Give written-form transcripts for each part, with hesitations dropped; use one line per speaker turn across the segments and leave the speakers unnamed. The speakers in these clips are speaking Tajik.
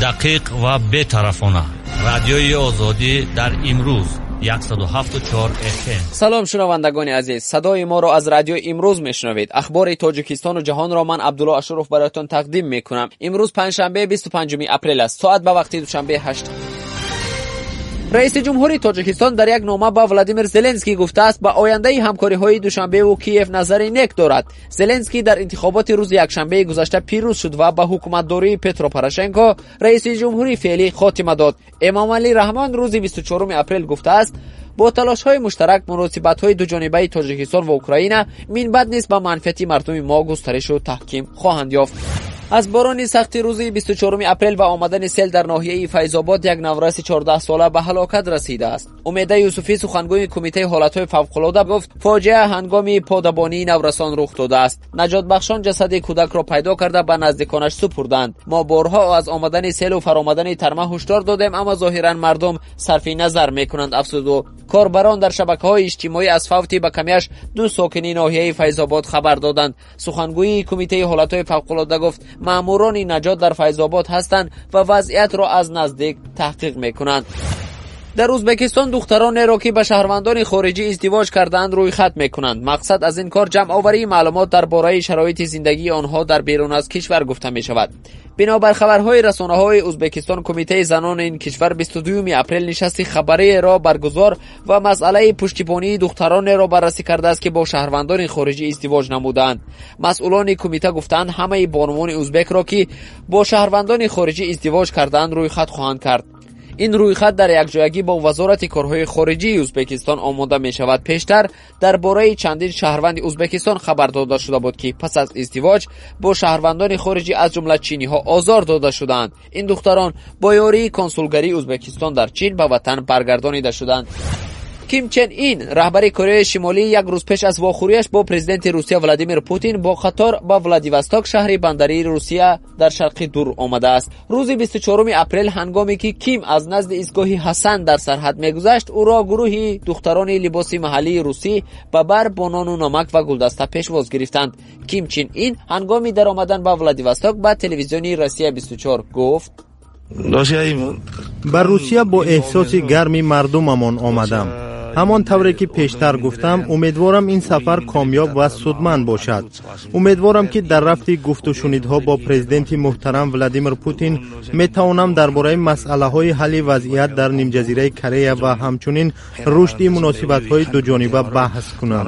Дақиқ ва бетарафона, Радиои Озодӣ дар имрӯз, 107,4 FM.
Салом, шунавандагони азиз! Садои моро аз Радиои Имрӯз мешунавед. Ахбори Тоҷикистону ҷаҳонро ман, Абдулло Ашуров, бароятон тақдим мекунам. Имрӯз панҷшанбе, 25 апрел аст. Соат ба вақти Душанбе 8. Раиси ҷумҳури Тоҷикистон дар як нома ба Владимир Зеленский гуфтааст, ба ояндаи ҳамкориҳои Душанбеву Киев назари нек дорад. Зеленский дар интихоботи рӯзи якшанбеи гузашта пирӯз шуд ва ба ҳукуматдории Петро Порошенко, раиси ҷумҳури феълӣ, хотима дод. Эмомалӣ Раҳмон рӯзи 24 апрел гуфтааст, бо талошҳои муштарак муносибатҳои дуҷонибаи Тоҷикистон ва Украина минбаъд низ ба манфиати мардуми мо густаришу таҳким хоҳанд ёфт. Аз борони сахти рӯзи 24 апрел ва омадани сел дар ноҳияи Файзобод як навраси 14сола ба ҳалокат расидааст. Умеда Юсуфӣ, сухангӯи Кумитаи ҳолатҳои фавқулода, гуфт, фоҷиа ҳангоми подабонии наврасон рух додааст. Наҷотбахшон ҷасади кӯдакро пайдо карда, ба наздиконаш супурданд. Мо борҳо аз омадани селу фаромадани тарма ҳушдор додем, аммо зоҳиран мардум сарфи назар мекунанд, афзуд ӯ. Корбарон дар шабакаҳои иҷтимоӣ аз фавти ба камиаш ду сокини ноҳияи Файзобод хабар доданд. Сухангӯии Кумитаи ҳолатҳои фавқулода гуфт, маъмурони наҷот дар Файзобод ҳастанд ва вазъиятро аз наздик таҳқиқ мекунанд. Дар Ӯзбекистон духтаронеро, ки ба шаҳрвандони хориҷӣ издивоҷ кардаанд, рӯйхат мекунанд. Мақсад аз ин кор ҷамъоварии маълумот дар бораи шароити зиндагии онҳо дар берун аз кишвар гуфта мешавад. Бинобар хабарҳои расонаҳои Ӯзбекистон, Кумитаи занони ин кишвар 22 апрел нишасти хабариеро баргузор ва масъалаи пуштибонии духтаронеро баррасӣ кардааст, ки бо шаҳрвандони хориҷӣ издивоҷ намудаанд. Масъулони кумита гуфтаанд, ҳамаи бонувони ӯзбекро, ки бо шаҳрвандони хориҷӣ издивоҷ кардаанд, рӯйхат хоҳанд кард. Ин рӯйхат дар якҷоягӣ бо Вазорати корҳои хориҷии Ӯзбекистон омода мешавад. Пештар дар бораи чандин шаҳрванди Ӯзбекистон хабар дода шуда буд, ки пас аз издивоҷ бо шаҳрвандони хориҷӣ, аз ҷумла чиниҳо, озор дода шудаанд. Ин духтарон бо ёрии консулгарии Ӯзбекистон дар Чин ба ватан баргардонида шуданд. Ким Чен Ин, раҳбари Кореяи Шимолӣ, як рӯз пеш аз вохӯрияш бо президенти Русия Владимир Путин бо қатор ба Владивосток, шаҳри бандарии Русия дар Шарқи Дур, омадааст. Рӯзи 24 апрел, ҳангоме ки Ким аз назди истгоҳи Ҳасан дар сарҳад мегузашт, ӯро гурӯҳи духтарони либоси маҳаллии русӣ ба бар бо нону намак ва гулдаста пешвоз гирифтанд. Ким Чин Ин ҳангоми даромадан ба Владивосток ба телевизиони Россия 24 гуфт:
Ба Русия бо эҳсоси гарми мардумамон омадам. Ҳамон тавре ки пештар гуфтам, умедворам ин сафар комёб ва судманд бошад. Умедворам, ки дар рафти гуфтушунидҳо бо президенти муҳтарам Владимир Путин метавонам дар бораи масъалаҳои ҳалли вазъият дар нимҷазираи Корея ва ҳамчунин рушди муносибатҳои дуҷониба баҳс кунам.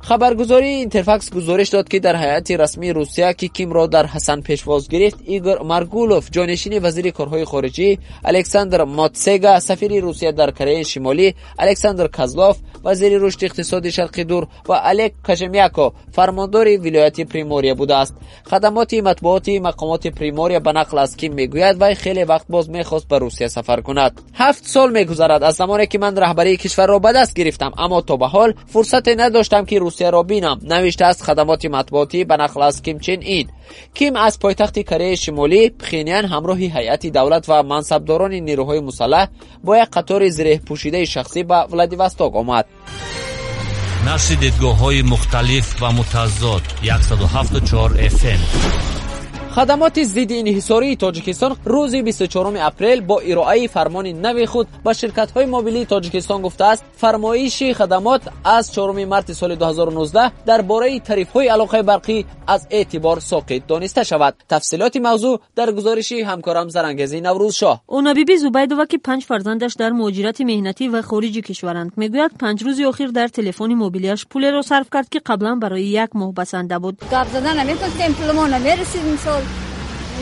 Хабаргузории Интерфакс гузориш дод, ки дар ҳайати расмии Русия, ки Кимро дар Ҳасан пешвоз гирифт, Игор Маргулов, ҷонишини вазири корҳои хориҷӣ, Александр Мотсега, сафири Русия дар Кореяи Шимолӣ, Александр Козлов, вазири рушди иқтисоди Шарқи Дур, ва Олег Кожемяко, фармондори вилояти Примория будааст. Хадамоти матбуоти мақомоти Примория ба нақл аз Ким мегӯяд, вай хеле вақт боз мехост ба Русия сафар кунад. 7 сол мегузарад аз замоне ки ман раҳбарии кишварро ба даст гирифтам, аммо то ба ҳол фурсате надоштам, ки Русияро бинам, навиштааст хадамоти матбуотӣ ба нақл аз Ким Чен Ин. Ким аз пойтахти Кореяи Шимолӣ, Пхенян, ҳамроҳи ҳайати давлат ва мансабдорони нерӯҳои мусаллаҳ бо як қатори зиреҳпӯшидаи шахсӣ ба Владивосток омад.
Нашри дидгоҳҳои мухталиф ва мутазод, 107,4 FM.
Хадамоти зидди инҳисории Тоҷикистон рӯзи 24 апрел бо ироаи фармони нави худ ба ширкатҳои мобилии Тоҷикистон гуфтааст, фармоиши хадамот аз 4 марти соли 2019 дар бораи тарифҳои алоқаи барқӣ аз эътибор соқит дониста шавад. Тафсилоти мавзӯъ дар гузориши ҳамкорам Зарангези Наврӯзшоҳ.
Онабиби Зубайдова, ки панҷ фарзандаш дар муҳоҷирати меҳнатӣ ва хориҷи кишваранд, мегӯяд, 5 рӯзи охир дар телефони мобилиаш пулеро сарф кард, ки қаблан барои як моҳ басанда буд.
Гап задан наметонистем, пулмо намерасид. Мисол,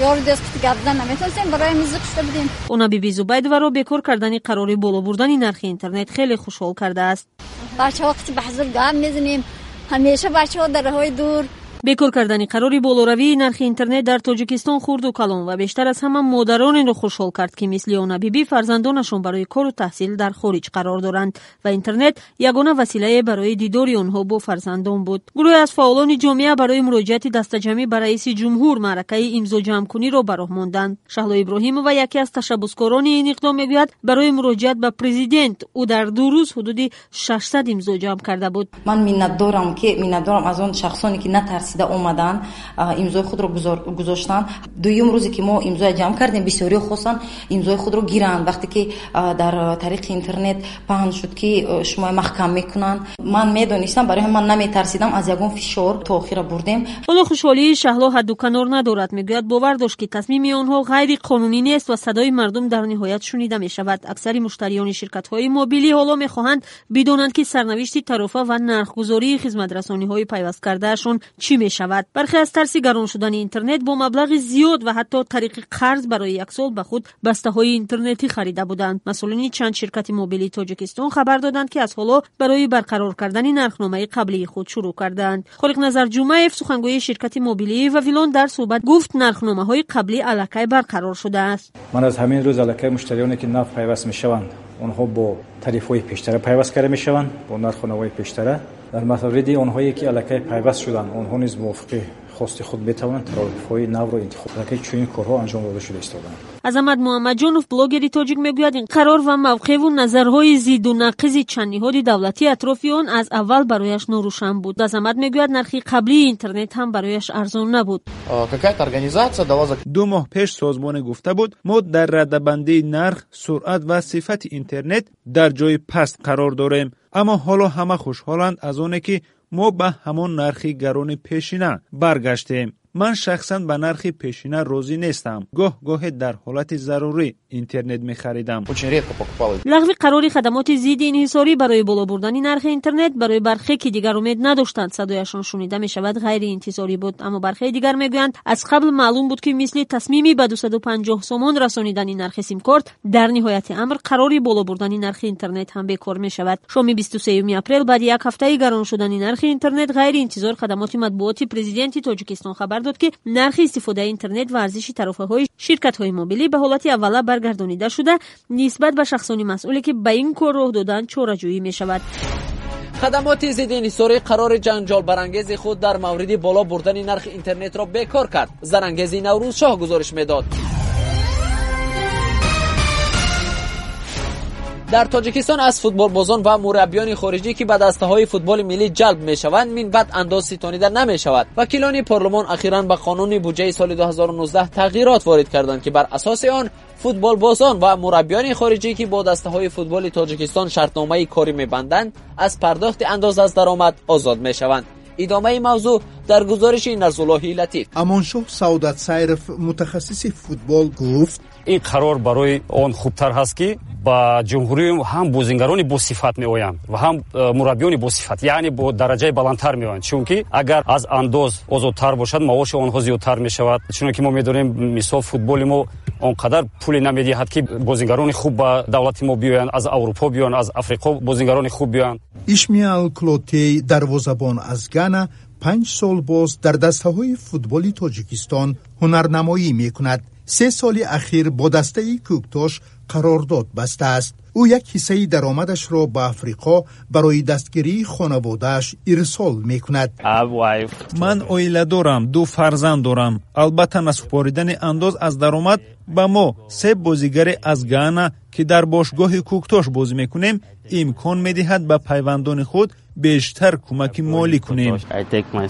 ёру дӯст гап задан наметонистем, барои ҳамин зиқ шуда будем.
Онабиби Зубайдоваро бекор кардани қарори боло бурдани нархи интернет хеле хушҳол кардааст.
Бачаҳо қити ба ҳузур гап мезанем, ҳамеша бачаҳо дар роҳҳои дур.
Бекор кардани қарори болоравии нархи интернет дар Тоҷикистон хурду калон ва бештар аз ҳама модаронеро хушҳол кард, ки мисли Онабибӣ фарзандонашон барои кору таҳсил дар хориҷ қарор доранд ва интернет ягона василае барои дидори онҳо бо фарзандон буд. Гурӯҳе аз фаъолони ҷомеа барои муроҷиати дастаҷамъӣ ба раиси ҷумҳур маъракаи имзоҷамъкуниро ба роҳ монданд. Шаҳло Иброҳимова, яке аз ташаббускорони ин иқдом, мегӯяд, барои муроҷиат ба президент ӯ дар 2 рӯз ҳудуди 600 имзо ҷамъ карда буд.
Ман миннатдорам, ки миннатдорам аз он шахсоне, ки натарсиданд. Тарсида омаданд, имзои худро гузоштанд. Дуюм рӯзе ки мо имзоя ҷамъ кардем, бисёриҳо хостанд имзои худро гиранд. Вақте ки дар тариқи интернет паҳн шуд, ки шумо маҳкам мекунанд, ман медонистам, барои ҳамин ман наметарсидам аз ягон фишор, то охира бурдем.
Ҳоло хушҳолии Шаҳло ҳадду канор надорад. Мегӯяд, бовар дошт, ки тасмими онҳо ғайриқонунӣ нест ва садои мардум дар ниҳоят шунида мешавад. Аксари муштариёни ширкатҳои мобилӣ ҳоло мехоҳанд бидонанд, ки сарнавишти тарофа ва нархгузории хизматрасониҳои пайвасткардаашон чӣ мешавад. Бархе аз тарси гарон шудани интернет бо маблағи зиёд ва ҳатто тариқи қарз барои як сол ба худ бастаҳои интернетӣ харида буданд. Масъулини чанд ширкати мобилии Тоҷикистон хабар доданд, ки аз ҳоло барои барқарор кардани нархномаи қаблии худ шурӯъ кардаанд. Холиқназар Ҷумаев, сухангӯи ширкати мобилии Вавилон, дар суҳбат гуфт, нархномаҳои қаблӣ аллакай барқарор шудааст.
Ман аз ҳамин рӯз аллакай муштариёне ки нав пайваст мешаванд, онҳо бо тарифҳои пештара пайваст карда мешаванд, бо нархномаҳои пештара. Дар мавриди онҳое ки аллакай пайваст шуданд, онҳо низ мувофиқи хости худ метавонанд тарифҳои навро интихоб кунанд. Чунин корҳо анҷом дода шуда истодаанд.
Азамат Муҳаммадҷонов, блогери тоҷик, мегӯяд, ин қарор ва мавқеъву назарҳои зидду нақизи чанд ниҳоди давлатӣ атрофи он аз аввал барояш норӯшан буд. Азамат мегӯяд, нархи қаблии интернет ҳам барояш арзон набуд.
2 моҳ пеш созмоне гуфта буд, мо дар радабандии нарх, суръат ва сифати интернет дар ҷои паст қарор дорем. Аммо ҳоло ҳама хушҳоланд аз оне, ки мо ба ҳамон нархи гарони пешина баргаштем. Ман шахсан ба нархи пешина розӣ нестам. Гоҳ-гоҳе дар ҳолати зарурӣ интернет мехаридам.
Лағви қарори хадамоти зидди инҳисорӣ барои боло бурдани нархи интернет барои бархе, ки дигар умед надоштанд садояшон шунида мешавад, ғайриинтизорӣ буд. Аммо бархеи дигар мегӯянд, аз қабл маълум буд, ки мисли тасмими ба 250 сомон расонидани нархи симкорт, дар ниҳояти амр қарори боло бурдани нархи интернет ҳам бекор мешавад. Шоми 23 апрел, баъди як ҳафтаи гарон шудани нархи интернет, ғайриинтизор хадамоти матбуоти президенти Тоҷикистон хабар дод, ки нархи истифодаи интернет ва арзиши тарофаҳои ширкатҳои мобилӣ ба ҳолати аввала баргардонида шуда, нисбат ба шахсони масъуле, ки ба ин кор роҳ доданд, чораҷӯӣ мешавад.
Хадамоти зидди инҳисорӣ қарори ҷанҷолбарангези худ дар мавриди боло бурдани нархи интернетро бекор кард. Зарангези Наврӯзшоҳ гузориш медод. Дар Тоҷикистон аз футболбозон ва мураббиёни хориҷӣ, ки ба дастаҳои футболи миллӣ ҷалб мешаванд, минбаъд андоз ситонида намешавад. Вакилони парлумон ахиран ба қонуни буҷаи соли 2019 тағйирот ворид карданд, ки бар асоси он футболбозон ва мураббиёни хориҷӣ, ки бо дастаҳои футболи Тоҷикистон шартномаи корӣ мебанданд, аз пардохти андоз аз даромад озод мешаванд. Идомаи мавзӯъ дар гузориши Нарзуллоҳи Латиф.
Амоншоҳ Саодат Сайров, мутахассиси футбол, гуфт:
ин қарор барои он хубтар ҳаст, ки ба ҷумҳурӣ ҳам бозингарони босифат меоянд ва ҳам мураббиёни босифат, яъне бо дараҷаи баландтар меоянд. Чунки агар аз андоз озодтар бошад, маоши онҳо зиёдтар мешавад. Чунки мо медонем, мисол, футболи мо он қадар пуле намедиҳад, ки бозингарони хуб ба давлати мо биёянд, аз Аврупо биёянд, аз Африқо бозингарони хуб биёянд.
Ишмиал Клотей, дарвозабон аз Гана, 5 сол боз дар дастаҳои футболи Тоҷикистон ҳунарнамоӣ мекунад. 3 соли ахир бо дастаи Кӯктош қарордод бастааст. Ӯ як ҳиссаи даромадашро ба Африқо барои дастгирии хонаводааш ирсол мекунад.
Ман оила дорам, 2 фарзанд дорам. Албатта, насупоридани андоз аз даромад ба мо, 3 бозигаре аз Гана, ки дар бошгоҳи Кӯктош бозӣ мекунем, имкон медиҳад ба пайвандони худ бештар кӯмаки молӣ кунем.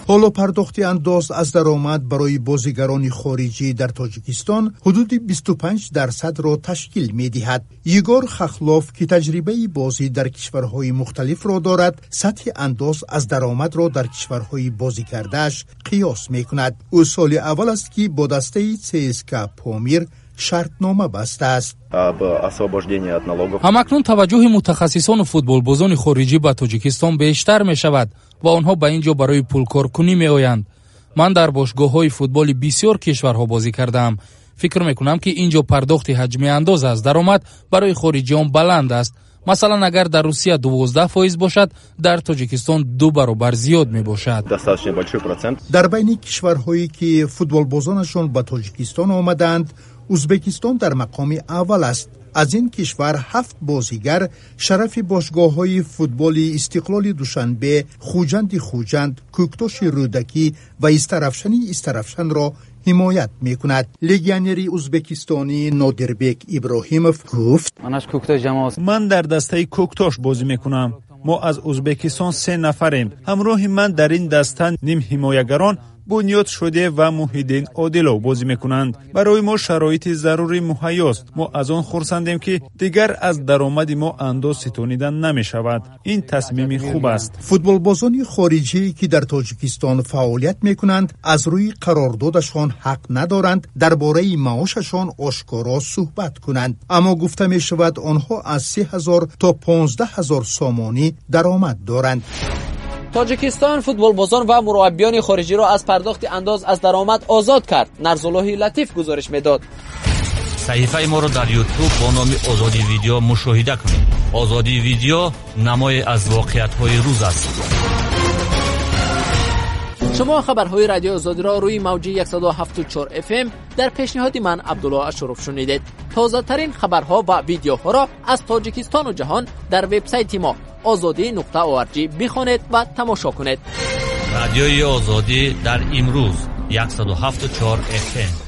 Ҳоло пардохти андоз аз даромад барои бозигарони хориҷӣ дар Тоҷикистон ҳудуди 25%-ро ташкил медиҳад. Егор Хахлов, ки таҷрибаи бозӣ дар кишварҳои мухталифро дорад, сатҳи андоз аз даромадро дар кишварҳои бозӣ кардааш қиёс мекунад. Ӯ соли аввал аст, ки бо дастаи ЦСКА Помир шартнома бастааст.
Ҳамакнун таваҷҷӯҳи мутахассисону футболбозони хориҷӣ ба Тоҷикистон бештар мешавад ва онҳо ба ин ҷо барои пулкоркунӣ меоянд. Ман дар бошгоҳҳои футболи бисёр кишварҳо бозӣ кардаам. Фикр мекунам, ки ин ҷо пардохти ҳаҷми андоз аз даромад барои хориҷиён баланд аст. Масалан, агар дар Русия 12% бошад, дар Тоҷикистон 2 баробар зиёд мебошад.
Дар байни кишварҳое, ки футболбозонашон ба Тоҷикистон омадаанд, Узбекистон дар мақоми аввал аст. Аз ин кишвар 7 бозигар шарафи бошгоҳҳои футболи Истиқлоли Душанбе, Хуҷанди Хуҷанд, Кӯктоши Рӯдакӣ ва Истарафшани Истарафшанро ҳимоят мекунад. Легионери узбекистонӣ Нодирбек Иброҳимов гуфт:
Ман дар дастаи Кӯктош бозӣ мекунам. Мо аз Узбекистон 3 нафарем. Ҳамроҳи ман дар ин даста нимҳимоягарон Бунёд Шодиев ва Муҳиддин Одилов бозӣ мекунанд. Барои мо шароити зарурӣ муҳайёст. Мо аз он хурсандем, ки дигар аз даромади мо андоз ситонида намешавад. Ин тасмими хуб аст.
Футболбозони хориҷие, ки дар Тоҷикистон фаъолият мекунанд, аз рӯи қарордодашон ҳақ надоранд дар бораи маошашон ошкоро суҳбат кунанд, аммо гуфта мешавад, онҳо аз 3000 то 15 000 сомонӣ даромад доранд.
Тоҷикистон футболбозон ва мураббиёни хориҷиро аз пардохти андоз аз даромад озод кард. Нарзуллоҳи Латиф гузориш медод.
Саҳифаи моро дар Ютуб бо номи Озодӣ Видео мушоҳида кунед. Озодӣ Видео намое аз воқеиятҳои рӯз аст.
Шумо хабарҳои Радиои Озодиро рӯи мавҷи 107,4 FM дар пешниҳоди ман, Абдулло Ашуров, шунидед. Тозатарин хабарҳо ва видеоҳоро аз Тоҷикистону ҷаҳон дар вебсайти мо озодӣ.org бихонед ва тамошо кунед.
Радиои Озодӣ дар имрӯз, 107,4 FM.